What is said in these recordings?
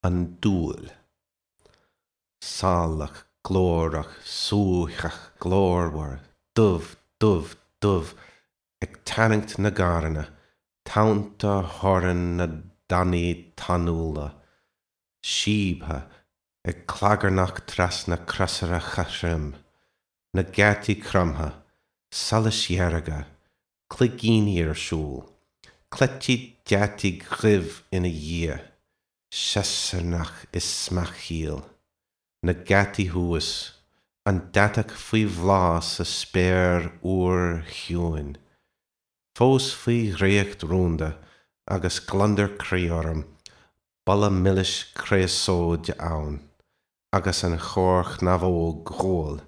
An dúil. Salach, glórach, suaitheach, glórmhar, dubh, dubh, dubh, ag tarraingt na gcarranna, tonnta thorann na dtanaí tanúla, síobtha, ag clagarnach trasna crosaire chothroim, na geataí cromtha, solais dhearga, cloigíní ar siúl, cleití deataigh dhuibh ina dhiaidh, siosarnach is smeachaíl, na geataí thuas, an deatach faoi bhláth sa spéir fhuar chiúin, fós faoi dhraíocht rúnda agus gliondar croí orm, boladh milis créasóide ann, agus an chorrchnamhóg ghuail,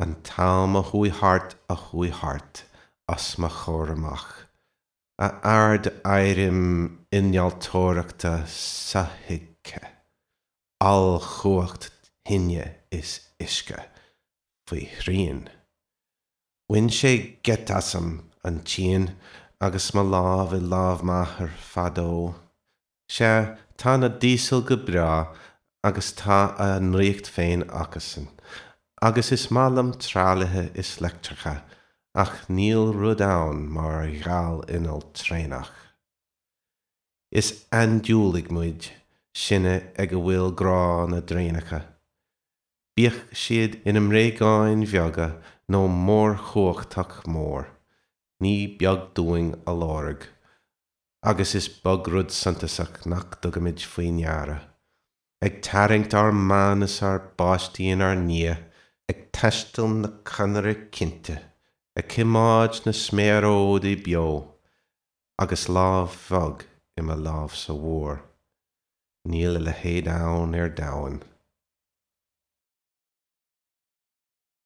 an t-am a chuaigh thart a chuaigh thart os mo chomhair amach, a ard-éirim innealtóireachta sothuigthe, ollchumhacht thine is uisce, faoi shrian. Bhain sé geit asam, an tsíon, agus mo lámh i lámh m'athar fadó. Sea, tá na díosail go breá agus tá a ndraíocht féin acusan, agus is maith liom tralaithe is leictreacha, ach níl rud ann mar gheal-inneall traenach. Is aindiúlaigh muid, sinne ag a bhfuil grá na dtraenacha. Bíodh siad ina mbréagáin bheaga nó mórchumhachtach mór, ní beag dúinn a lorg. Agus is beag rud suntasach nach dtugaimid faoi ndeara. Ag tarraingt ár mban is ár bpáistí inár ndiaidh, ag taisteal na conaire cinnte, ag coimeád na sméaróidí beo, agus lámh bheag i mo lámhsa mhór. Níl a leithéid ann ar domhan.